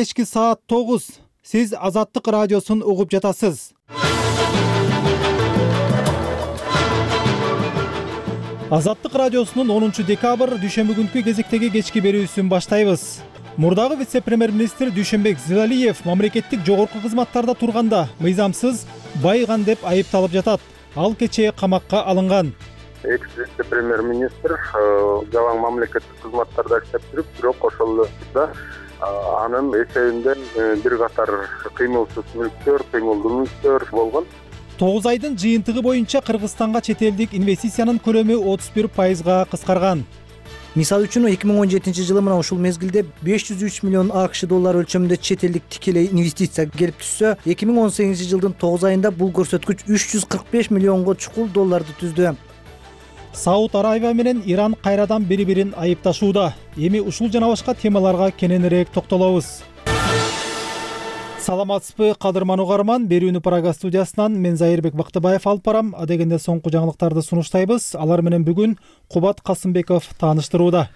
Кечки саат 9. Сиз Азаттык радиосун угуп жатасыз. Азаттык радиосунун 10 декабрь дүйшөмбү күнкү кезектеги кечки берүүсүн баштайбыз. Мурдагы вице-премьер-министр Дүйшөнбек Зилалиев мамлекеттик жогорку кызматтарда турганда мыйзамсыз байган деп айыпталып жатат. Ал кечээ камакка алынган. Экс-вице-премьер-министр жалаң мамлекеттик кызматтарда иштеп жүрүп, бирок ошол да анын эсебинде бир катар кыймылсыз мүлктөр, кыймылдуу мүлктөр болгон. 9 айдын жыйынтыгы боюнча Кыргызстанга чет элдик инвестициянын көлөмү 31%га кыскарган. Мисалы үчүн 2017 жылы мына ушул мезгилде 503 миллион АКШ доллары өлчөмүндө чет элдик тикелей инвестиция келип түшсө, 2018 жылдын 9 айында бул көрсөткүч 345 миллионго чукул долларды түздү. Сауд Арабия менен Иран кайрадан бири-бирин айыпташууда. Эми ушул жана башка темаларга кененирээк токтолобуз. Саламатсызбы, кадырман угарман. Берүүнү Прага студиясынан мен Зайырбек Бактыбаев алып барам. Адегенде соңку жаңылыктарды сунуштайбыз. Алар менен бүгүн Кубат Касымбеков тааныштырууда.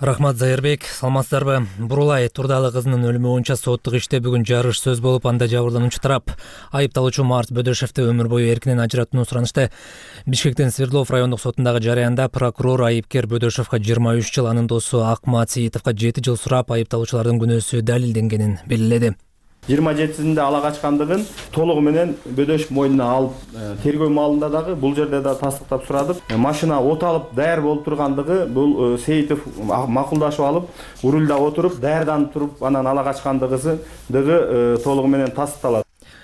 Рахмат, Зайырбек. Саламатсыздарбы? Бурулай Турдалы кызынын өлүмү боюнча соттук иште бүгүн жарыш сөз болуп, анда жабырлануучу тарап айыпталуучу Марс Бөдөшевди өмүр бою эркинен ажыратууну суранышты. Бишкектин Свердлов райондук сотундагы жарыянда прокурор айыпкер Бөдөшевге 23 жыл, анын досу Акмат Сиитовго 7 жыл сурап, айыпталуучулардын күнөөсү далилденгенин белгиледи. 27-синде ала качкандыгын толугу менен Бөдөшев мойнуна алып, тергөө маалында дагы бул жерде да тастыктап сурадык. Машина от алып даяр болуп тургандыгы бул Сейитов макулдашып алып, рулда отуруп, даярданып туруп, анан ала качкандыгы толугу менен тастыкталат,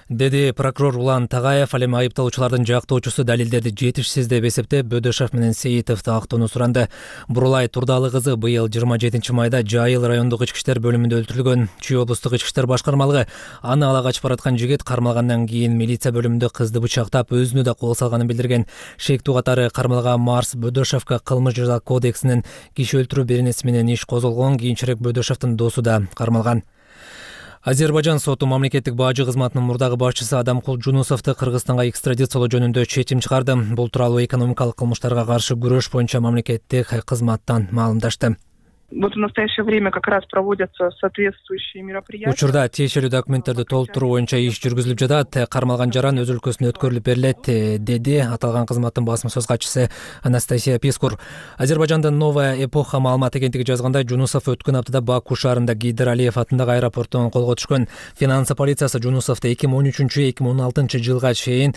деди прокурор Улан Тагаев. Ал эми айыпталуучулардын жактоочусу далилдерди жетишсиз деп эсептеп, Бөдөшев менен Сеитовду актоону суранды. Бурулай Турдалы кызы быйыл 27 майда Жайыл райондук ички иштер бөлүмүндө өлтүрүлгөн. Чүй облустук ички иштер башкармалыгы аны ала качып бараткан жигит кармалгандан кийин милиция бөлүмүндө кызды бычактап, өзүнө да кол салганын билдирген. Шектүү катары кармалган Марс Бөдөшевге кылмыш жаза кодексинин киши өлтүрүү беренеси менен иш козголгон. Кийинчерээк Бөдөшевдин досу да кармалган. Азербайжан соту мамлекеттик бажы кызматынын мурдагы башчысы Адамкул Жунусовду Кыргызстанга экстрадициялоо жөнүндө чечим чыгарды. Бул тууралуу экономикалык кылмыштарга каршы күрөш боюнча мамлекеттик кызматтан маалымдашты. Вот в настоящее время как раз проводятся соответствующие мероприятия. Учурда тиешелүү документтерди толтуруу боюнча иш жүргүзүлүп жатат. Кармалган жаран өз өлкөсүнө өткөрүлүп берилет, деди аталган кызматтын басма сөз катчысы Анастасия Пискур. Азербайжандын Новая эпоха маалымат агенттиги жазгандай, Жунусов өткөн аптада Баку шаарында Гейдар Алиев атындагы аэропорттон колго түшкөн. Финансы полициясы Жунусовду 2013-2016 жылга чейин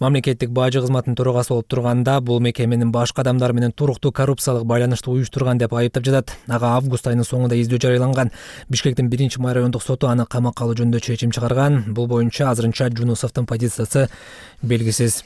мамлекеттик бажы кызматынын төрагасы болуп турганда, бул мекеменин башка адамдар менен туруктуу коррупциялык байланышты уюштурган деп айыптап жатат. Ага август айынын соңунда издөө жарыяланган. Бишкектин 1-май райондук соту аны камакка алуу жөнүндө чечим чыгарган. Бул боюнча азырынча Жунусовдун позициясы белгисиз.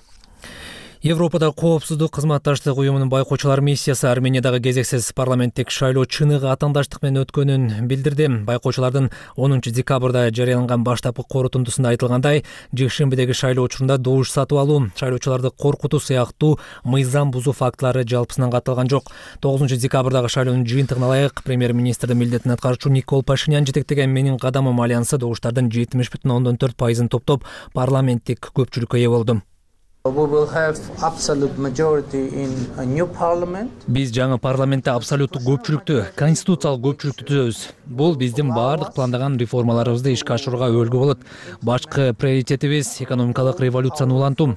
Европада коопсуздук кызматташтык уюмунун байкоочулар миссиясы Армениядагы кезексиз парламенттик шайлоо чыныгы атаандаштык менен өткөнүн билдирди. Байкоочулардын 10 декабрда жарыяланган баштапкы корутундусунда айтылгандай, жекшембидеги шайлоо учурунда добуш сатып алуу, шайлоочуларды коркутуу сыяктуу мыйзам бузуу фактылары жалпысынан катталган жок. 9 декабрдагы шайлоонун жыйынтыгына ылайык, премьер-министрдин милдетин аткаруучу Никол Пашинян жетектеген Менин кадамым альянсы добуштардын 70,4%ын топтоп парламенттик көпчүлүккө ээ болду. Биз жаңы парламентте абсолюттук көпчүлүктү, конституциялык көпчүлүктү түзөбүз. Бул биздин баардык пландаган реформаларыбызды ишке ашырууга өбөлгө болот. Башкы приоритетибиз экономикалык революцияны улантуу,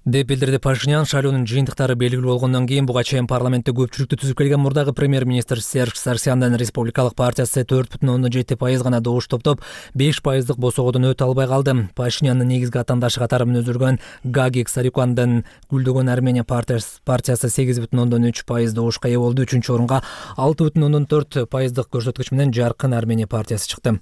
деп билдирди Пашинян. Шайлоонун жыйынтыктары белгилүү болгондон кийин буга чейин парламентте көпчүлүктү түзүп келген мурдагы премьер-министр Серж Сарсяндын Республикалык партиясы 4,7% гана добуш топтоп, 5% босогодон өтө албай калды. Пашинянын негизги атаандашы катары өзүлгөн Гагик Сарикяндын Гүлдөгөн Армения партиясы 8,3% добушка ээ болду. 3-чү орунга 6,4% көрсөткүч менен Жаркын Армения партиясы чыкты.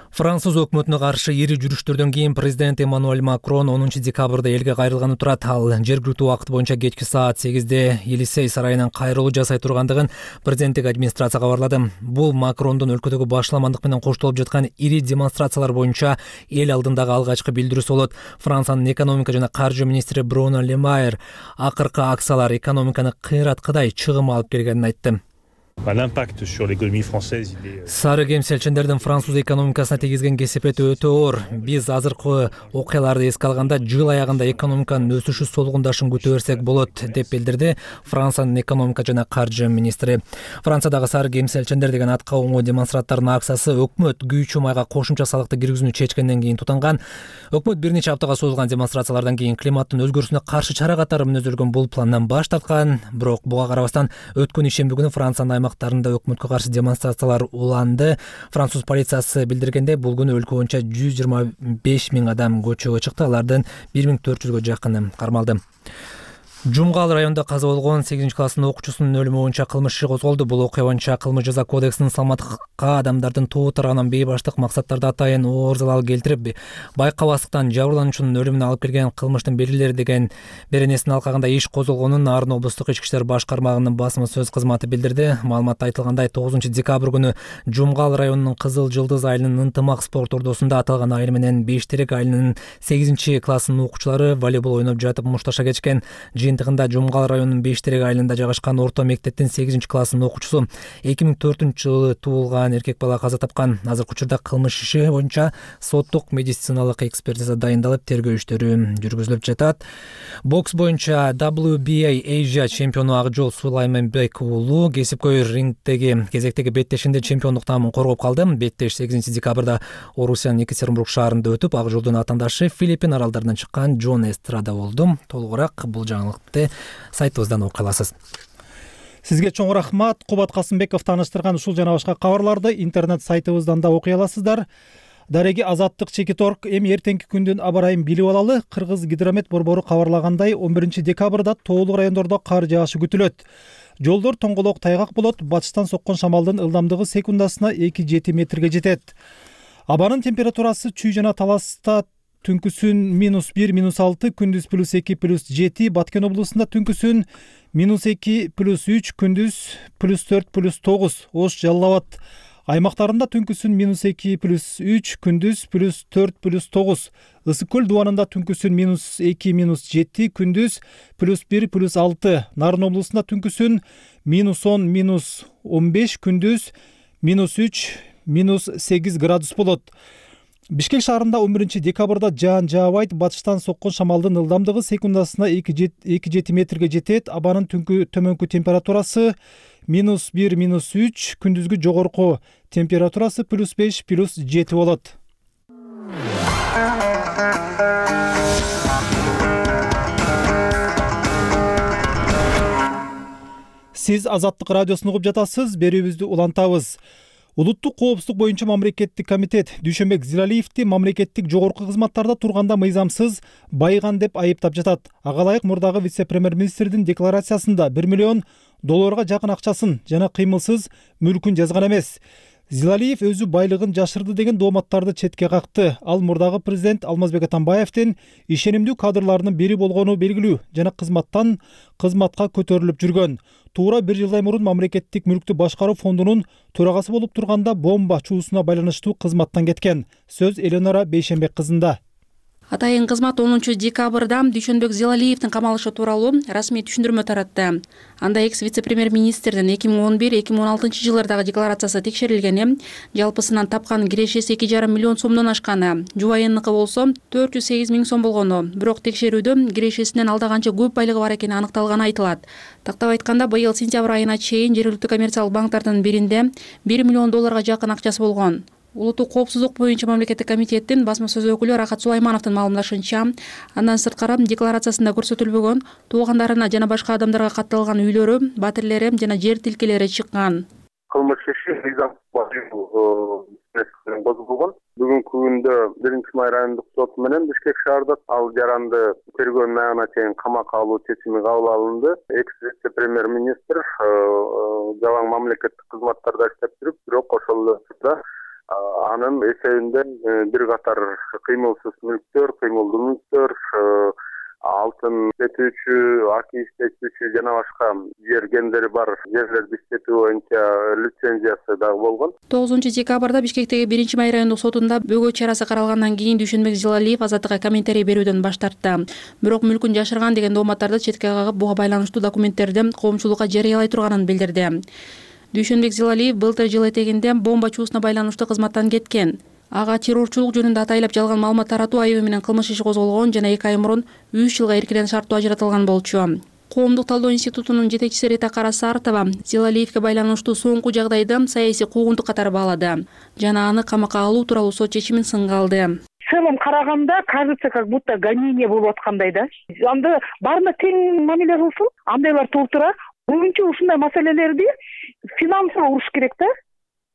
Француз өкмөтүнө каршы ири жүрүштөрдөн кийин президент Эммануэль Макрон 10 декабрда элге кайрылганы турат. Ал жергиликтүү убакыт боюнча кечки саат 8-де Елисей сарайынан кайрылуу жасай тургандыгын президенттик администрация кабарлады. Бул Макрондун өлкөдөгү башламандык менен коштолуп жаткан ири демонстрациялар боюнча эл алдындагы алгачкы билдирүүсү болот. Франциянын экономика жана каржы министри Бруно Ле Майер акыркы акциялар экономиканы кыйраткыдай чыгым алып келгенин айтты. L'impact sur l'économie française, il est... Сары кемселчендердин француз экономикасына тийгизген кесепети өтө оор. Биз азыркы окуяларды эске алганда жыл аягында экономиканын өсүшү солгундашын күтө берсек болот, деп билдирди Франциянын экономика жана каржы министри. Франциядагы сары кемселчендер деген атка оңой демонстранттардын акциясы өкмөт күйүүчү майга кошумча салыкты киргизүүнү чечкенден кийин тутанган. Өкмөт бир нече аптага созулган демонстрациялардан кийин климаттын өзгөрүүсүнө каршы чара катары мүнөздөлгөн бул пландан баш тарткан. Бирок буга карабастан өткөн ишемби күнү Франциянын аймактарында өкмөткө каршы демонстрациялар уланды. Француз полициясы билдиргенде, бул күнү өлкө боюнча 125 000 адам көчөгө чыкты, алардын 1400гө жакыны кармалды. Жумгал районунда каза болгон 8-класстын окуучусунун өлүмү боюнча кылмыш иши козголду. Бул окуя боюнча кылмыш жаза кодексинин саламаттыкка адамдардын тоо тарабынан бейбаштык максаттарда атайын оор залал келтирип, байкабастыктан жабырлануучунун өлүмүнө алып келген кылмыштын белгилери деген беренесин алкагында иш козголгонун Нарын облустук ички иштер баш кармагынын басма сөз кызматы билдирди. Маалыматта айтылгандай, 9-декабрь күнү Жумгал районунун Кызыл Жылдыз айылынын Ынтымак спорт ордосунда аталган айыл менен Бештерек айылынын 8-класстын окуучулары волейбол ойноп жатып мушташа кетишкен. Жыйынтыгында Жумгал районунун Бештерек айылында жайгашкан орто мектептин 8-класстын окуучусу 2004-жылы туулган эркек бала каза тапкан. Азыркы учурда кылмыш иши боюнча соттук медициналык экспертиза дайындалып, тергөө иштери жүргүзүлүп жатат. Бокс боюнча WBA Asia чемпиону Акжол Сулайманбек уулу кесипкөй рингдеги кезектеги беттешинде чемпиондук наамын коргоп калды. Беттеш 8-декабрда Орусиянын Екатеринбург шаарында өтүп, Акжолдун атаандашы Филиппин аралдарынан чыккан Джон Эстрада болду. Толугураак бул жаңылыкты сайтыбыздан окуй аласыз. Сизге чоң рахмат. Кубат Касымбеков тааныштырган ушул жана башка кабарларды интернет сайтыбыздан да окуй аласыздар. Дареги Азаттык Чекиторг. Эми эртеңки күндүн аба ырайын билип алалы. Кыргыз гидромет борбору кабарлагандай, 11-декабрда тоолуу райондордо кар жаашы күтүлөт. Жолдор тоңголок тайгак болот. Батыштан соккон шамалдын ылдамдыгы секундасына 2-7 метрге жетет. Абанын температурасы Чүй жана Таласта түнкүсүн -1, -6, күндүз +2, +7, Баткен облусунда түнкүсүн -2, +3, күндүз +4, +9, Ош, Жалал Абад аймактарында түнкүсүн -2, +3, күндүз +4, +9, Ысык көл дубанында түнкүсүн -2, -7, күндүз +1, +6, Нарын облусунда түнкүсүн -10, -15, күндүз -3, -8 градус болот. Бишкек шаарында 11-декабрда жаан жаабайт. Батыштан соккон шамалдын ылдамдыгы секундасына 2-7 метрге жетет. Абанын төмөнкү температурасы -1, -3, күндүзгү жогорку температурасы +5, +7 болот. Сиз Азаттык радиосун угуп жатасыз. Берүүбүздү улантабыз. Улуттук коопсуздук боюнча мамлекеттик комитет Дүйшөнбек Зилалиевди мамлекеттик жогорку кызматтарда турганда мыйзамсыз байыган деп айыптап жатат. Ага ылайык мурдагы вице-премьер-министрдин декларациясында $1 миллион жакын акчасын жана кыймылсыз мүлкүн жазган эмес. Зилалиев өзү байлыгын жашырды деген дооматтарды четке какты. Ал мурдагы президент Алмазбек Атамбаевдин ишенимдүү кадрларынын бири болгону белгилүү жана кызматка көтөрүлүп жүргөн. Туура 1 жылдай мурун мамлекеттик мүлктү башкаруу фондунун төрагасы болуп турганда бомба чуусуна байланыштуу кызматтан кеткен. Сөз Эленора Бейшенбек кызында. Атайын кызмат 10-декабрда Дүйшөнбек Зилалиевдин камалышы тууралуу расмий түшүндүрмө таратты. Анда экс-вице-премьер-министрдин 2011-2016 жылдардагы декларациясы текшерилгени, жалпысынан тапкан кирешеси 2,5 миллион сомдон ашканы, жубайыныкы болсо 408 000 сом болгону. Бирок текшерүүдө кирешесинен алда канча көп байлыгы бар экени аныкталганы айтылат. Тактап айтканда, быйыл сентябрь айына чейин жергиликтүү коммерциялык банктардын биринде $1 миллион жакын акчасы болгон. Улуттук коопсуздук боюнча мамлекеттик комитеттин басма сөз өкүлү Рахат Сулаймановдун маалымдашынча, андан сырткары декларациясында көрсөтүлбөгөн туугандарына жана башка адамдарга катталган үйлөрү, батирлери жана жер тилкелери чыккан. Кылмыш иши козголгон. Бүгүнкү күндө 1-май райондук соту менен Бишкек шаардык ал жаранды тергөө аягына чейин камакка алуу чечими кабыл алынды. Экс-вице-премьер-министр жалаң мамлекеттик кызматтарда иштеп жүрүп, бирок ошол эле анын эсебинде бир катар кыймылсыз мүлктөр, кыймылдуу мүлктөр, алтын иштетүүчү, аки иштетүүчү жана башка жер гендери бар жерлерди иштетүү боюнча лицензиясы дагы болгон. 9-декабрда Бишкектеги 1-май райондук сотунда бөгөт чарасы каралгандан кийин Дүйшөнбек Зилалиев Азаттыкка комментарий берүүдөн баш тартты. Бирок мүлкүн жашырган деген дооматтарды четке кагып, буга байланыштуу документтерди коомчулукка жарыялай турганын билдирди. Дүйшөнбек Зилалиев былтыр жыл этегинде бомба чуусуна байланыштуу кызматтан кеткен. Ага террорчулук жөнүндө атайлап жалган маалымат таратуу айыбы менен кылмыш иши козголгон жана 2 ай мурун 3 жылга эркинен шарттуу ажыратылган болчу. Коомдук талдоо институтунун жетекчиси Рита Карасартова Зилалиевге байланыштуу соңку жагдайды саясий куугунтук катары баалады жана аны камакка алуу тууралуу сот чечимин сынга алды. В целом караганда кажется, как будто гонение болуп аткандай да. Анда баарына тең мамиле кылсын, андайлар толтура. Көбүнчө ушундай маселелерди финансылык уруш керек да.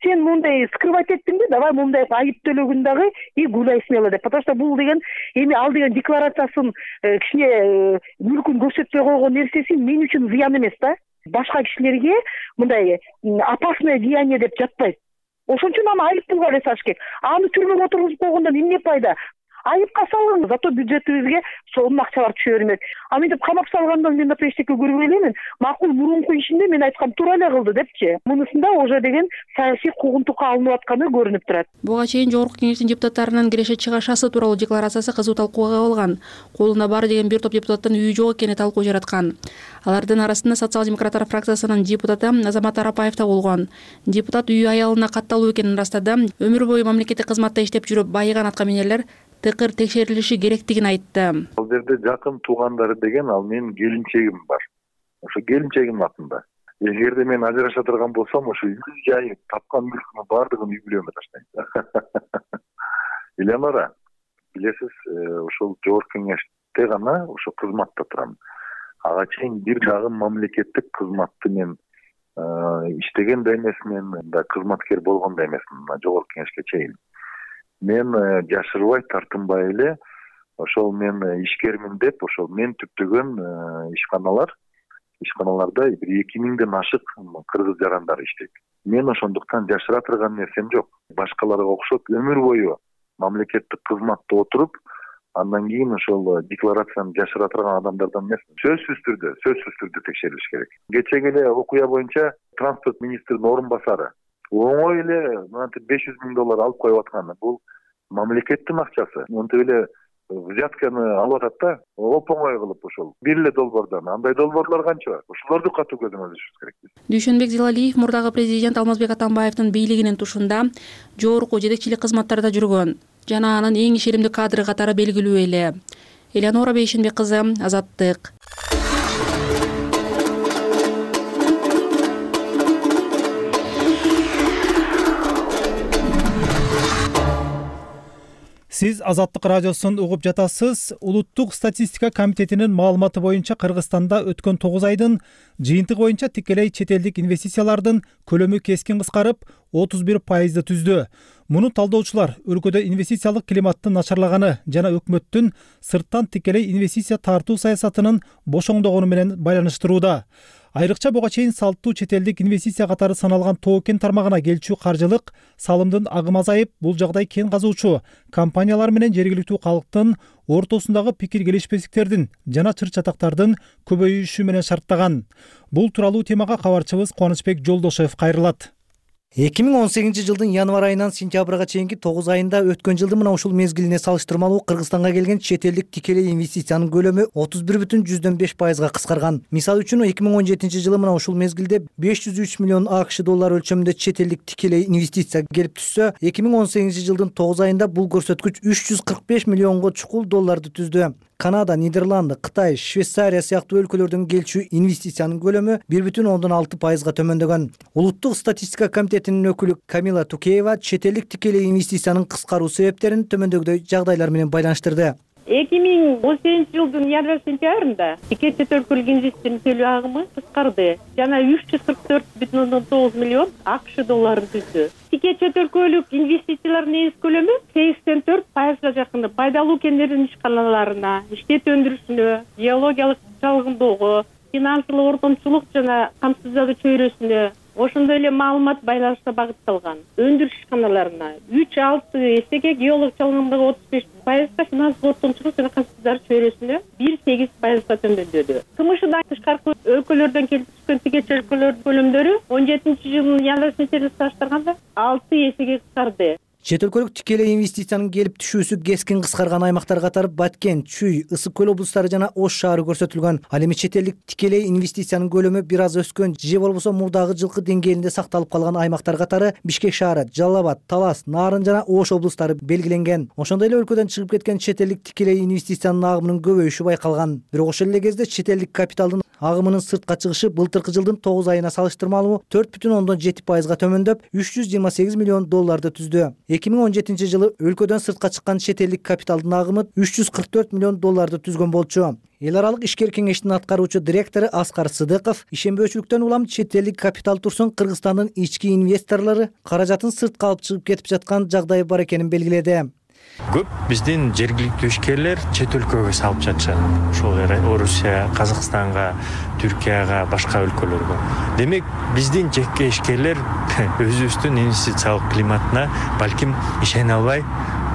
Сен мындай скрывать эттиңби, давай мындай айып төлөгүн дагы и гуляй смело деп. Потому что бул деген эми ал деген декларациясын кичине мүлкүн көрсөтпөй койгон нерсеси мен үчүн зыян эмес да. Башка кишилерге мындай опасное деяние деп жатпайт. Ошон үчүн аны айып пулга эле саш керек. Аны түрмөгө отургузуп койгондон эмне пайда? Айыпка салыңыз, зато бюджетибизге сонун акчалар түшө бермек. А мынтип камап салгандан мен да эчтеке көрбөй элемин. Макул мурунку ишинде мен айткам туура эле кылды депчи. Мунусунда уже деген саясий куугунтукка алынып атканы көрүнүп турат. Буга чейин Жогорку Кеңештин депутаттарынын Киреше Чыгашасы тууралуу декларациясы кызуу талкууга кабылган. Колунда баары деген бир топ депутаттын үйү жок экени талкуу жараткан. Алардын арасында социал-демократтар фракциясынын депутаты Азамат Арапаев да болгон. Депутат үйү аялына катталуу экенин ырастады. Өмүр бою мамлекеттик кызматта иштеп жүрүп байыган аткаминерлер тыкыр текшерилиши керектигин айтты. Ал жерде жакын туугандары деген ал менин келинчегим бар. Ошо келинчегимдин атында. Эгерде мен ажыраша турган болсом, ошо үй жайы, тапкан мүлкүнүн баардыгын үй бүлөмө таштайм. Элеонора, билесиз, ошол Жогорку Кеңеште гана ошо кызматта турам. Ага чейин бир дагы мамлекеттик кызматты мен иштеген да эмес, мен да кызматкер болгон да эмесмин Жогорку Кеңешке чейин. Мен жашырбай, тартынбай эле ошол мен ишкермин деп, ошол мен түптөгөн ишканаларда бир 2000ден ашык кыргыз жарандары иштейт. Мен ошондуктан жашыра турган нерсем жок. Башкаларга окшоп өмүр бою мамлекеттик кызматта отуруп, андан кийин ошол декларацияны жашыра турган адамдардан эмес. Сөзсүз түрдө текшерилиш керек. Кечеги эле окуя боюнча транспорт министринин орун басары оңой эле мынтип $500,000 алып коюп атканы. Бул мамлекеттин акчасы. Мынтип эле взятканы алып атат да, оп-оңой кылып ошол. Бир эле долбоордон. Андай долбоорлор канча бар? Ошолорду катуу көзөмөл алышыбыз керек. Дүйшөнбек Зилалиев мурдагы президент Алмазбек Атамбаевдин бийлигинин тушунда жогорку жетекчилик кызматтарда жүргөн жана анын эң ишенимдүү кадры катары белгилүү эле. Элеонора Бейшенбек кызы, Азаттык. Сиз Азаттык радиосун угуп жатасыз. Улуттук статистика комитетинин маалыматы боюнча Кыргызстанда өткөн 9 айдын жыйынтыгы боюнча тикелей чет элдик инвестициялардын көлөмү кескин кыскарып 31% түздү. Муну талдоочулар өлкөдө инвестициялык климаттын начарлаганы жана өкмөттүн сырттан тикелей инвестиция тартуу саясатынын бошоңдогону менен байланыштырууда. Айрыкча буга чейин салттуу чет элдик инвестиция катары саналган Тоо-кен тармагына келчү каржылык салымдын агымы азайып, бул жагдай кен казуучу компаниялар менен жергиликтүү калктын ортосундагы пикир келишпестиктердин жана чыр-чатактардын көбөйүшү менен шарттаган. Бул тууралуу темага кабарчыбыз Кубанычбек Жолдошев кайрылат. 2018 январь айынан сентябрга чейинки 9 айында өткөн жылдын мына ушул мезгилине салыштырмалуу Кыргызстанга келген чет элдик тикелей инвестициянын көлөмү 31,5%га кыскарган. Мисалы үчүн 2017 мына ушул мезгилде $503 миллион өлчөмүндө чет элдик тикелей инвестиция келип түшсө, 2018 9 айында бул көрсөткүч $345 миллионго чукул долларды түздү. Канада, Нидерланды, Кытай, Швейцария сыяктуу өлкөлөрдөн келчү инвестициянын көлөмү 1,6%га төмөндөгөн. Улуттук статистика комитетинин өкүлү Камила Тукеева чет элдик тикелей инвестициянын кыскаруу себептерин төмөндөгүдөй жагдайлар менен байланыштырды. 2018 январь-сентябрында тике чет өлкөлүк инвестициянын төлөө агымы кыскарды жана $344,9 миллион долларын түздү. Тике чет өлкөлүк инвестициялардын негиз көлөмү 84%га жакын пайдалуу кендердин ишканаларына, иштет өндүрүшүнө, геологиялык чалгындоого, финансылык ортомчулук жана камсыздоо чөйрөсүнө, ошондой эле маалымат байланышына багытталган өндүрүш ишканаларына 3-6 эсеге, геолог чалгындыгы 35%, финансылык ортомчулук жана камсыздоо чөйрөсүнө 1-8%га төмөндөдү. КМШдан тышкаркы өлкөлөрдөн келип түшкөн тике чет өлкөлөрдүн көлөмдөрү 17 жылдын январь-сентябрь салыштырганда 6 эсеге кыскарды. Чет өлкөлүк тикелей инвестициянын келип түшүүсү кескин кыскарган аймактар катары Баткен, Чүй, Ысык көл облустары жана Ош шаары көрсөтүлгөн. Ал эми чет элдик тикелей инвестициянын көлөмү бир аз өскөн же болбосо мурдагы жылкы деңгээлинде сакталып калган аймактар катары Бишкек шаары, Жалал Абад, Талас, Нарын жана Ош облустары белгиленген. Ошондой эле өлкөдөн чыгып кеткен чет элдик тикелей инвестициянын агымынын көбөйүшү байкалган. Бирок ошол эле кезде чет элдик капиталдын агымынын сыртка чыгышы былтыркы жылдын 9 айына салыштырмалуу 4,7%га төмөндөп, $328 миллион түздү. 2017 жылы өлкөдөн сыртка чыккан чет элдик капиталдын агымы $344 миллион түзгөн болчу. Эл аралык ишкер кеңештин аткаруучу директору Аскар Сыдыков ишенбөөчүлүктөн улам чет элдик капитал турсун Кыргызстандын ички инвесторлору каражатын сыртка алып чыгып кетип жаткан жагдай бар экенин белгиледи. Көп биздин жергиликтүү ишкерлер чет өлкөгө салып жатышат. Ошол Орусия, Казакстанга, Түркияга, башка өлкөлөргө. Демек, биздин жеке ишкерлер өзүбүздүн инвестициялык климатына балким ишене албай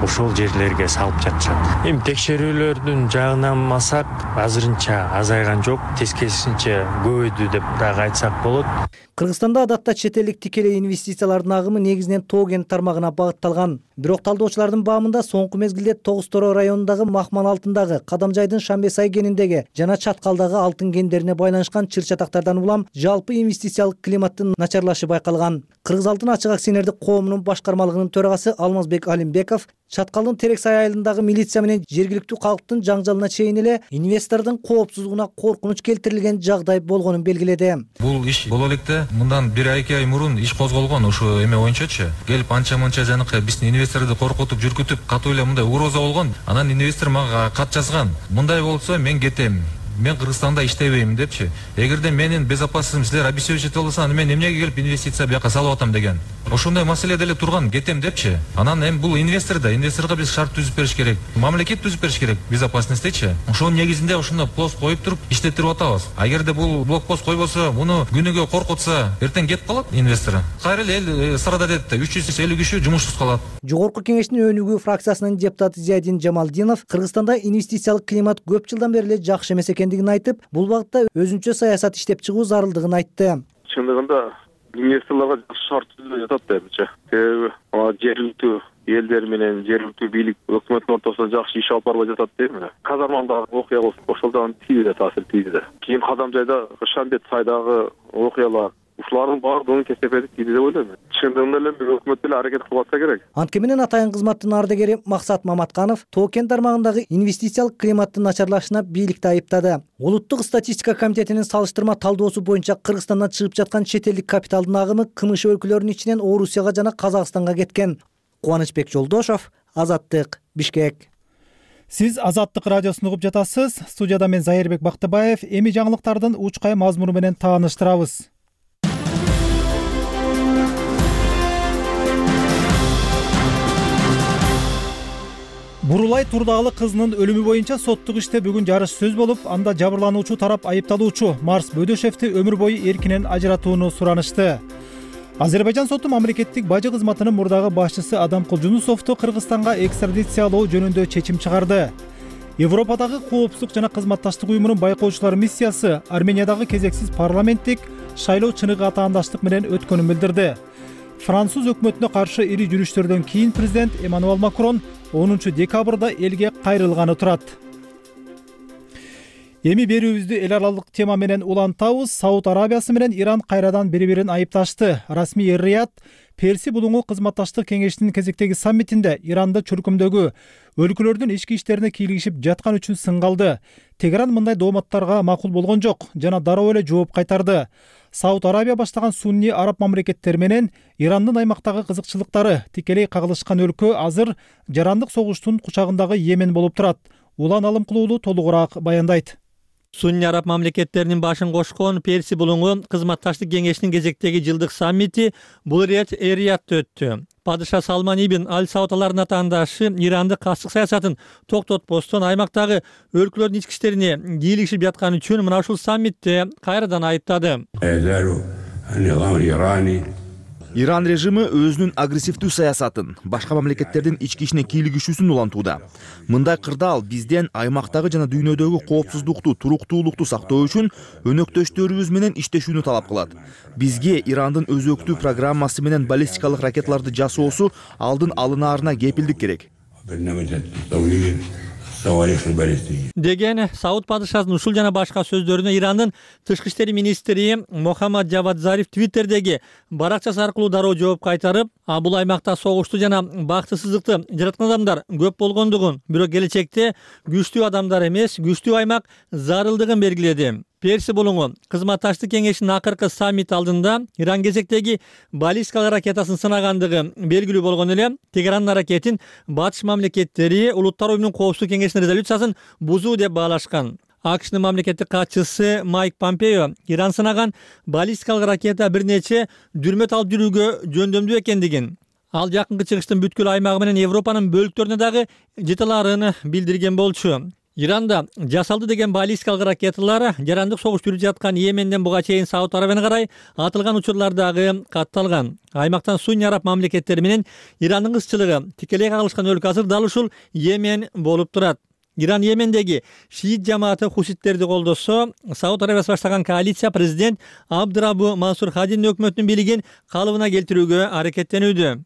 ошол жерлерге салып жатышат. Эми текшерүүлөрдүн жагынан алсак, азырынча азайган жок, тескерисинче көбөйдү деп дагы айтсак болот. Кыргызстанда адатта чет элдик тикелей инвестициялардын агымы негизинен тоо кен тармагына багытталган. Бирок талдоочулардын баамында соңку мезгилде Тогуз Торо районундагы Махман алтындагы, Кадамжайдын Шамбесай кениндеги жана Чаткалдагы алтын кендерине байланышкан чыр-чатактардан улам жалпы инвестициялык климаттын начарлашы байкалган. Кыргыз алтын ачык акционердик коомунун башкармалыгынын төрагасы Алмазбек Алимбеков Чаткалдын Терексай айылындагы милиция менен жергиликтүү калктын жаңжалына чейин эле инвестордун коопсуздугуна коркунуч келтирилген жагдай болгонун белгиледи. Бул иш боло электе мындан 1-2 ай мурун иш козголгон ошо эме боюнчачы. Келип анча-мынча жанакы биздин инвесторду коркутуп, жүргүтүп, катуу эле мындай угроза болгон. Анан инвестор мага кат жазган. Мындай болсо мен кетем. Мен Кыргызстанда иштебейм депчи. Эгерде менин безопасностьум силер обеспечить болсо, аны мен эмнеге келип инвестиция бияка салып атам деген. Ошондой маселе деле турган, кетем депчи. Анан эми бул инвесторго биз шарт түзүп бериш керек. Мамлекет түзүп бериш керек безопасностьтечи. Ошонун негизинде ошондой пост коюп туруп иштетирип атабыз. Агерде бул блокпост койбосо, муну күнүгө коркутса, эртең кетип калат инвестор. Кайра эле эл страдать этти. 350 киши жумушсуз калат. Жогорку кеңештин өнүгүү фракциясынын депутаты Зиядин Жамалдинов Кыргызстанда инвестициялык климат көп жылдан бери эле жакшы эмес экендигин айтып, бул багытта өзүнчө саясат иштеп чыгуу зарылдыгын айтты. Чындыгында инвесторлорго жакшы шарт түзүлүп жатат депчи. Себеби жергиликтүү элдер менен жергиликтүү бийлик өкмөттүн ортосунда жакшы иш алып барбай жатат дейм эле. Казармандагы окуя болсун, ошолдон тийди, таасир тийди. Кийин Кадамжайда Шамбетсайдагы окуялар ушулардын баардыгынын кесепети тийди деп ойлойм. Чындыгында эле өкмөт деле аракет кылып атса керек. Анткени менен атайын кызматтын ардагери Максат Маматканов тоо кен тармагындагы инвестициялык климаттын начарлашына бийликти айыптады. Улуттук статистика комитетинин салыштырма талдоосу боюнча Кыргызстандан чыгып жаткан чет элдик капиталдын агымы КМШ өлкөлөрүнүн ичинен Орусияга жана Казакстанга кеткен. Кубанычбек Жолдошов, Азаттык, Бишкек. Сиз Азаттык радиосун угуп жатасыз. Студияда мен Зайырбек Бактыбаев. Эми жаңылыктардын учкай мазмуну менен тааныштырабыз. Бурулай Турдагалы кызынын өлүмү боюнча соттук иште бүгүн жарыш сөз болуп, анда жабырлануучу тарап айыпталуучу Марс Бөдөшевди өмүр бою эркинен ажыратууну суранышты. Азербайжан соту мамлекеттик бажы кызматынын мурдагы башчысы Адамкул Жунусовду Кыргызстанга экстрадициялоо жөнүндө чечим чыгарды. Европадагы коопсуздук жана кызматташтык уюмунун байкоочулар миссиясы Армениядагы кезексиз парламенттик шайлоо чыныгы атаандаштык менен өткөнүн билдирди. Француз өкмөтүнө каршы ири жүрүштөрдөн кийин президент Эммануэль Макрон 10 декабрда элге кайрылганы турат. Эми берүүбүздү эл аралык тема менен улантабыз. Сауд Арабиясы менен Иран кайрадан бири-бирин айыпташты. Расмий Эр-Рияд Перси булуңу кызматташтык кеңешинин кезектеги саммитинде Иранды чуркумдөгү өлкөлөрдүн ички иштерине кийлигишип жаткан үчүн сынгалды. Тегеран мындай дооматтарга макул болгон жок жана дароо эле жооп кайтарды. Сауд Арабия баштаган сунни араб мамлекеттери менен Ирандын аймактагы кызыкчылыктары тикелей кагылышкан өлкө азыр жарандык согуштун кучагындагы Йемен болуп турат. Улан Алымкулуулу толугураак баяндайт. Сунни араб мамлекеттеринин башын кошкон Перси булуңу кызматташтык кеңешинин кезектеги жылдык саммити бул ирет Эр-Риядта өттү. Падыша Салман ибн Аль-Сауд алардын атаандашы Иранды кастык саясатын токтотпостон аймактагы өлкөлөрдүн ички иштерине кийлигишип жатканы үчүн мына ушул саммитте кайрадан айыптады. Иран режими өзүнүн агрессивдүү саясатын, башка мамлекеттердин ички ишине кийлигишүүсүн улантууда. Мындай кырдаал бизден аймактагы жана дүйнөдөгү коопсуздукту, туруктуулукту сактоо үчүн өнөктөштөрүбүз менен иштешүүнү талап кылат. Бизге Ирандын өзөктүү программасы менен баллистикалык ракеталарды жасоосу алдын алынаарына кепилдик керек. Деген Сауд падышасынын ушул жана башка сөздөрүнө Ирандын тышкы иштери министри Мохаммад Джавад Зариф Твиттердеги баракчасы аркылуу дароо жооп кайтарып, бул аймакта согушту жана бактысыздыкты жараткан адамдар көп болгондугун, бирок келечекте күчтүү адамдар эмес, күчтүү аймак зарылдыгын белгиледи. Перси булуңу кызматташтык кеңешинин акыркы саммит алдында Иран кезектеги баллистикалык ракетасын сынагандыгы белгилүү болгон эле Тегерандын аракетин батыш мамлекеттери Улуттар уюмунун коопсуздук кеңешинин резолюциясын бузуу деп баалашкан. АКШнын мамлекеттик катчысы Майк Помпео Иран сынаган баллистикалык ракета бир нече дүрмөт алып жүрүүгө жөндөмдүү экендигин, ал жакынкы чыгыштын бүткүл аймагы менен Европанын бөлүктөрүнө дагы жете аларын билдирген болчу. Иранда жасалды деген баллистикалык ракеталар жарандык согуш жүрүп жаткан Йеменден буга чейин Сауд Арабияга карай атылган учурлардагы катталган. Аймактан Сунни араб мамлекеттери менен Ирандын кызчылыгы тикелей кагылышкан өлкө азыр дал ушул Йемен болуп турат. Иран Йемендеги шиит жамааты хуситтерди колдосо, Сауд Арабиясы баштаган коалиция президент Абдырабу Мансур Хадинин өкмөтүнүн бийлигин калыбына келтирүүгө аракеттенүүдө.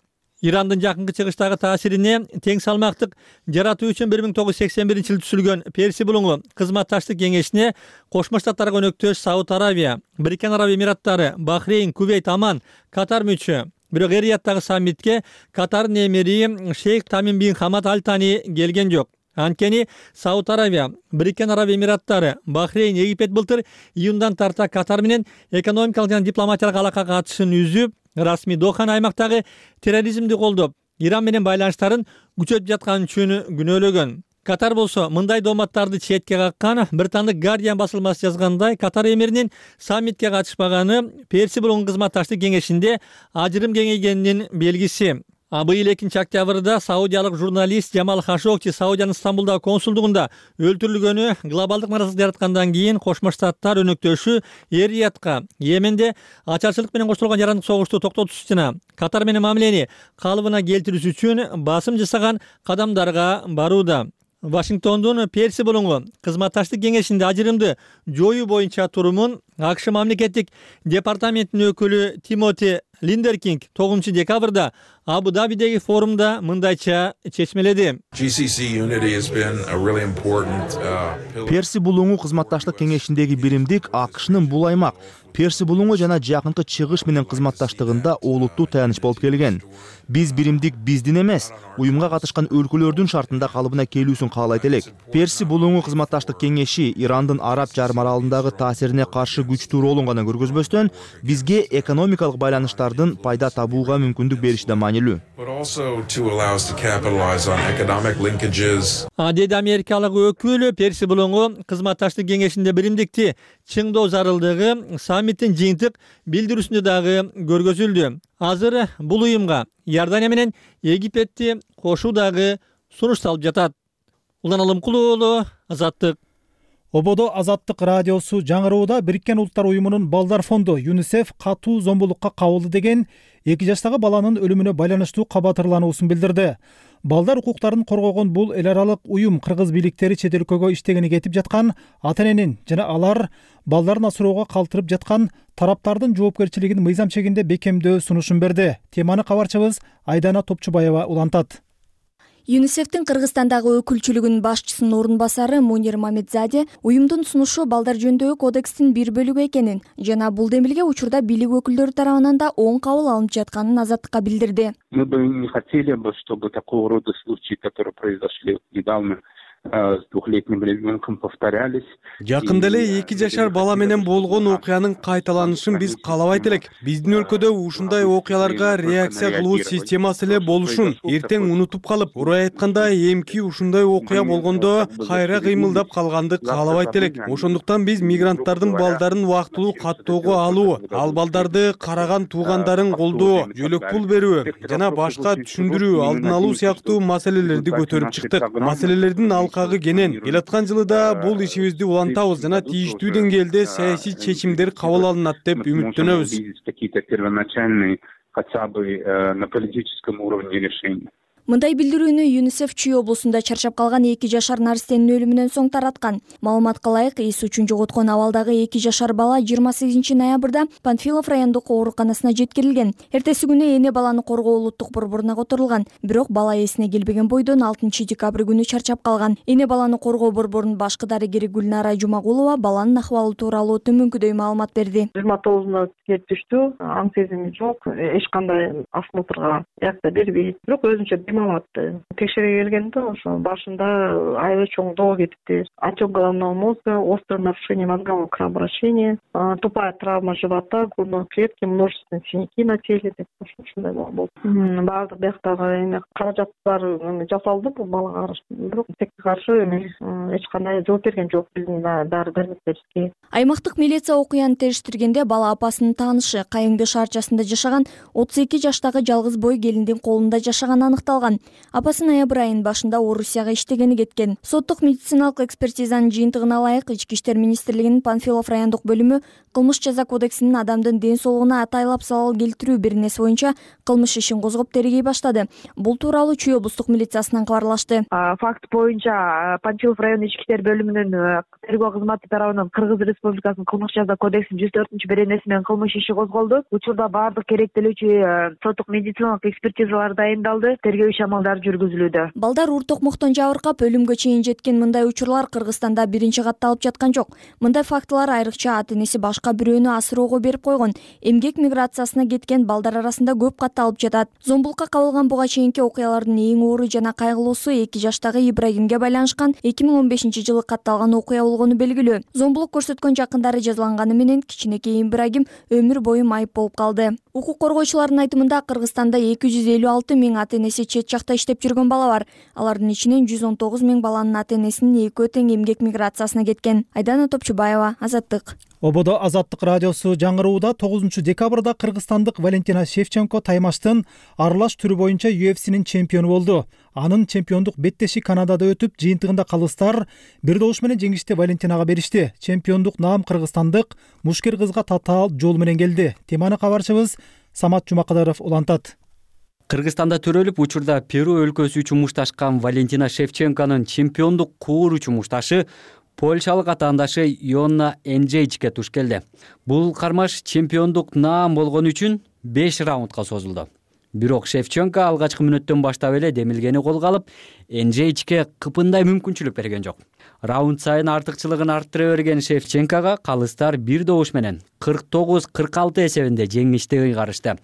Ирандын жакынкы чыгыштагы таасирине тең салмактык жаратуу үчүн 1981-жылы түзүлгөн Перси булуңу кызматташтык кеңешине Кошмо Штаттарга өнөктөш Сауд Арабия, Бириккен Араб Эмираттары, Бахрейн, Кувейт, Аман, Катар мүчө. Бирок Эр-Рияттагы саммитке Катардын эмири Шейх Тамим бин Хамад Аль Тани келген жок. Анткени Сауд Арабия, Бириккен Араб Эмираттары, Бахрейн, Египет былтыр июндан тарта Катар менен экономикалык жана дипломатиялык алака катышын үзүп, расмий Доханы аймактагы терроризмди колдоп, Иран менен байланыштарын күчөтүп жаткан үчүн күнөөлөгөн. Катар болсо мындай дооматтарды четке каккан. Британдык Guardian басылмасы жазгандай, Катар эмиринин саммитке катышпаганы Перси булуңу кызматташтык кеңешинде ажырым кеңейгенинин белгиси. Быйыл 2-октябрда саудиялык журналист Джамал Хашогчи Саудиянын Стамбулдагы консулдугунда өлтүрүлгөнү глобалдык наразылык жараткандан кийин Кошмо Штаттар өнөктөшү Эр-Риядка Йеменде ачарчылык менен коштолгон жарандык согушту токтотуш жана Катар менен мамилени калыбына келтирүү үчүн басым жасаган кадамдарга барууда. Вашингтондун Перси булуңу кызматташтык кеңешинде ажырымды жоюу боюнча турумун АКШ мамлекеттик департаментинин өкүлү Тимоти Линдеркинг 9-декабрда Абу-Дабидеги форумда мындайча чечмеледи. Перси булуңу кызматташтык кеңешиндеги биримдик АКШнын бул аймак Перси булуңу жана жакынкы чыгыш менен кызматташтыгында олуттуу таяныч болуп келген. Биз биримдик биздин эмес, уюмга катышкан өлкөлөрдүн шартында калыбына келүүсүн каалайт элек. Перси булуңу кызматташтык кеңеши Ирандын Араб жарым аралындагы таасирине каршы күчтүү ролун гана көргөзбөстөн, бизге экономикалык байланыштардын пайда табууга мүмкүндүк бериши да маанилүү. Деди америкалык өкүл Перси булуңу кызматташтык кеңешинде биримдикти чыңдоо зарылдыгы саммиттин жыйынтык билдирүүсүндө дагы көргөзүлдү. Азыр бул уюмга Иордания менен Египетти кошуу дагы сунушталып жатат. Улан Алымкулуу уулу, Азаттык. Ободо Азаттык радиосу жаңыроодо Бириккен Улуттар уюмунун балдар фонду ЮНИСЕФ катуу зомбулукка кабылды деген 2 жаштагы баланын өлүмүнө байланыштуу кабатырлануусун билдирди. Балдар укуктарын коргогон бул эл аралык уюм кыргыз бийликтери чет өлкөгө иштегени кетип жаткан ата-эненин жана алар балдарын асыроого калтырып жаткан тараптардын жоопкерчилигин мыйзам чегинде бекемдөө сунушун берди. Теманы кабарчыбыз Айдана Топчубаева улантат. ЮНИСЕФтин Кыргызстандагы өкүлчүлүгүнүн башчысынын орун басары Мунир Мамедзаде уюмдун сунушу балдар жөнүндөгү кодекстин бир бөлүгү экенин жана бул демилге учурда бийлик өкүлдөрү тарабынан да оң кабыл алынып жатканын Азаттыкка билдирди. Мы бы не хотели бы, чтобы такого рода случаи, которые произошли недавно с двухлетним ребенком, повторялись. Жакында эле 2 жашар бала менен болгон окуянын кайталанышын биз каалабайт элек. Биздин өлкөдө ушундай окуяларга реакция кылуу системасы эле болушун. Эртең унутуп калып, урай айтканда эмки ушундай окуя болгондо кайра кыймылдап калганды каалабайт элек. Ошондуктан биз мигранттардын балдарын убактылуу каттоого алуу, ал балдарды караган туугандарын колдоо, жөлөк пул берүү жана башка түшүндүрүү, алдын алуу сыяктуу маселелерди көтөрүп чыктык. Маселелердин алкагы кенен. Келаткан жылда бул ишибизди улантабыз жана тийиштүү деңгээлде саясий чечимдер кабыл алынат деп үмүттөнөбүз. хотя бы на политическом уровне решения. Мындай билдирүүнү ЮНИСЕФ Чүй облусунда чарчап калган 2 жашар наристенин өлүмүнөн соң тараткан. Маалыматка ылайык, эс учун жоготкон абалдагы 2 жашар бала 28 ноябрда Панфилов райондук ооруканасына жеткирилген. Эртеси күнү эне баланы коргоо улуттук борборуна которулган. Бирок бала эсине келбеген бойдон 6 декабрь күнү чарчап калган. Эне баланы коргоо борборунун башкы дарыгери Гүлнара Жумагулова баланын ахвалы тууралуу төмөнкүдөй маалымат берди. 29 келип түштү. Аң сезими жок, эч кандай осмотрга якта бербейт. Бирок өзүнчө алатты. Текшере келгенде ошо башында аябай чоң доо кетипти. Отек головного мозга, острое нарушение мозгового кровообращения, тупая травма живота, грудной клетки, множественные синяки на теле деп ушундай болду. Баардык бияктагы эме каражаттар жасалды бул балага каршы. Бирок текке каршы эч кандай жооп берген жок биздин дары-дармектерибизге. Аймактык милиция окуяны териштиргенде бала апасынын таанышы Кайыңды шаарчасында жашаган 32 жаштагы жалгыз бой келиндин колунда жашаганы аныкталган. Апасы ноябрь айынын башында Орусияга иштегени кеткен. Соттук медициналык экспертизанын жыйынтыгына ылайык Ички иштер министрлигинин Панфилов райондук бөлүмү кылмыш жаза кодексинин адамдын ден соолугуна атайлап залал келтирүү беренеси боюнча кылмыш ишин козгоп тергей баштады. Бул тууралуу Чүй облустук милициясынан кабарлашты. Факт боюнча Панфилов райондук ички иштер бөлүмүнүн тергөө кызматы тарабынан Кыргыз Республикасынын кылмыш жаза кодексинин 104 беренеси менен кылмыш иши козголду. Учурда баардык керектелүүчү соттук медициналык экспертизалар дайындалды. Тергөө амалдар жүргүзүлүүдө. Балдар ур токмоктон жабыркап өлүмгө чейин жеткен мындай учурлар Кыргызстанда биринчи катталып жаткан жок. Мындай фактылар айрыкча ата-энеси башка бирөөнү асыроого берип койгон, эмгек миграциясына кеткен балдар арасында көп катталып жатат. Зомбулукка кабылган буга чейинки окуялардын эң оор жана кайгылуусу 2 жаштагы Ибрагимге байланышкан 2015-жылы катталган окуя болгону белгилүү. Зомбулук көрсөткөн жакындары жазаланганы менен кичинекей Ибрагим өмүр бою майып болуп калды. Укук коргоочулардын айтымында Кыргызстанда 256 миң ата-энеси чет жакта иштеп жүргөн бала бар. Алардын ичинен 119 миң баланын ата-энесинин экөө тең эмгек миграциясына кеткен. Айдана Топчубаева, Азаттык. Ободо Азаттык радиосу жаңырууда 9 декабрда кыргызстандык Валентина Шевченко таймаштын аралаш түрү боюнча UFC'нин чемпиону болду. Анын чемпиондук беттеши Канадада өтүп, жыйынтыгында калыстар бир добуш менен жеңишти Валентинага беришти. Чемпиондук наам кыргызстандык мушкер кызга татаал жол менен келди. Теманы кабарчыбыз Самат Жумакадыров улантат. Кыргызстанда төрөлүп, учурда Перу өлкөсү үчүн мушташкан Валентина Шевченконун чемпиондук куур үчүн мушташы польшалык атаандашы Йонна Энджейчке туш келди. Бул кармаш чемпиондук наам болгон үчүн 5 раундка созулду. Бирок Шевченко алгачкы мүнөттөн баштап эле демилгени колго алып, Энджейчке кыпындай мүмкүнчүлүк берген жок. Раунд сайын артыкчылыгын арттыра берген Шевченкога калыстар бир добуш менен 49-46 эсебинде жеңишти ыйгарышты.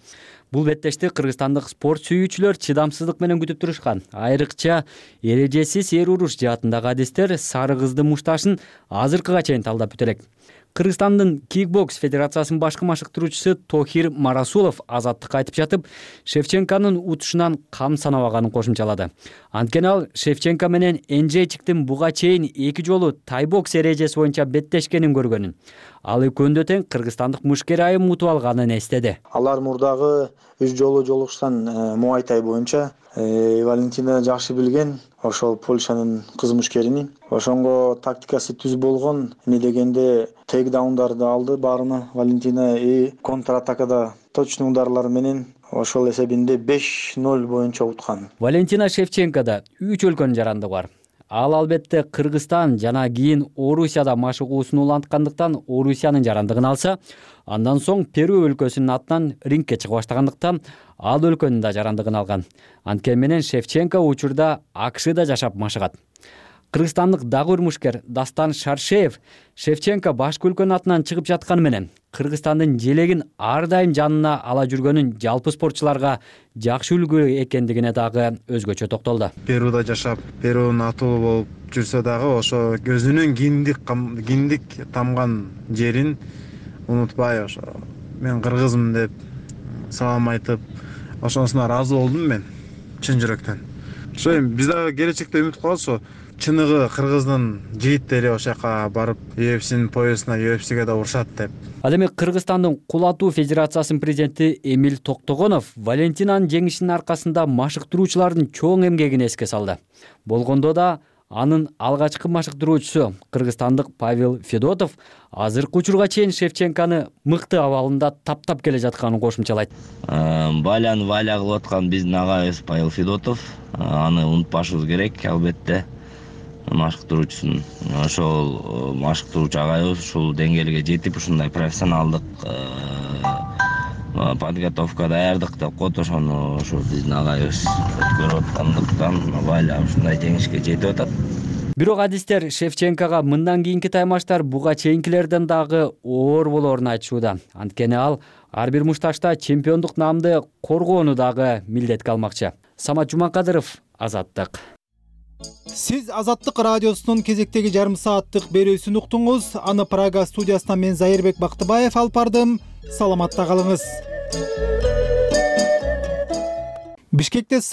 Бул беттешти кыргызстандык спорт сүйүүчүлөр чыдамсыздык менен күтүп турушкан. Айрыкча эрежесиз эр уруш жаатындагы адистер сары кыздын мушташын азыркыга чейин талдап бүтө элек. Кыргызстандын кикбокс федерациясынын башкы машыктыруучусу Тохир Марасулов Азаттыкка айтып жатып, Шевченконун утушунан кам санабаганын кошумчалады. Анткени ал Шевченко менен Энджейчиктин буга чейин 2 жолу тайбокс эрежеси боюнча беттешкенин көргөнүн. Ал экөөндө тең кыргызстандык мушкер айым утуп алганын эстеди. Алар мурдагы 3 жолу жолугушкан муайтай боюнча Валентина жакшы билген, ошол Польшанын кыз мушкерини. Ошонго тактикасы түз болгон, эмне дегенде тейкдаундарды алды баарына. Валентина контратакада точный ударлар менен ошол эсебинде 5-0 боюнча уткан. Валентина Шевченкода 3 өлкөнүн жарандыгы бар. Ал албетте Кыргызстан жана кийин Орусияда машыгуусун уланткандыктан Орусиянын жарандыгын алса, андан соң Перу өлкөсүнүн атынан рингке чыга баштагандыктан ал өлкөнүн да жарандыгын алган. Анткени менен Шевченко учурда АКШда жашап машыгат. Кыргызстандык дагы бир мушкер Дастан Шаршеев Шевченко башкы өлкөнүн атынан чыгып жатканы менен Кыргызстандын желегин ар дайым жанына ала жүргөнүн жалпы спортчуларга жакшы үлгү экендигине дагы өзгөчө токтолду. Перуда жашап, Перунун атуулу болуп жүрсө дагы ошо өзүнүн киндик тамган жерин унутпай, ошо мен кыргызмын деп салам айтып, ошонусуна ыраазы болдум мен чын жүрөктөн. Ошо эми биз дагы келечекте үмүт кылабыз, ошо чыныгы кыргыздын жигиттери ошол жака барып UFC'нин поясына UFC'ге да урушат деп. Ал эми Кыргызстандын кул атуу федерациясынын президенти Эмил Токтогонов Валентинанын жеңишинин аркасында машыктыруучулардын чоң эмгегин эске салды. Болгондо да Анын алгачкы машыктыруучусу кыргызстандык Павел Федотов азыркы учурга чейин Шевченконы мыкты абалында таптап келе жатканын кошумчалайт. Валяны валя кылып аткан биздин агайыбыз Павел Федотов. Аны унутпашыбыз керек, албетте. Машыктыруучусун ошол машыктыруучу агайыбыз ушул деңгээлге жетип, ушундай профессионалдык подготовка даярдык деп коет, ошону ошол биздин агайыбыз өткөрүп аткандыктан Валя ушундай жеңишке жетип атат. Бирок адистер Шевченкога мындан кийинки таймаштар буга чейинкилерден дагы оор болоорун айтышууда. Анткени ал ар бир мушташта чемпиондук наамды коргоону дагы милдетке алмакчы. Самат Жумакадыров, Азаттык. Сиз Азаттык радиосунун кезектеги жарым сааттык берүүсүн уктуңуз. Аны Прага студиясынан мен Зайырбек Бактыбаев алып бардым. Саламатта калыңыз. Бишкекте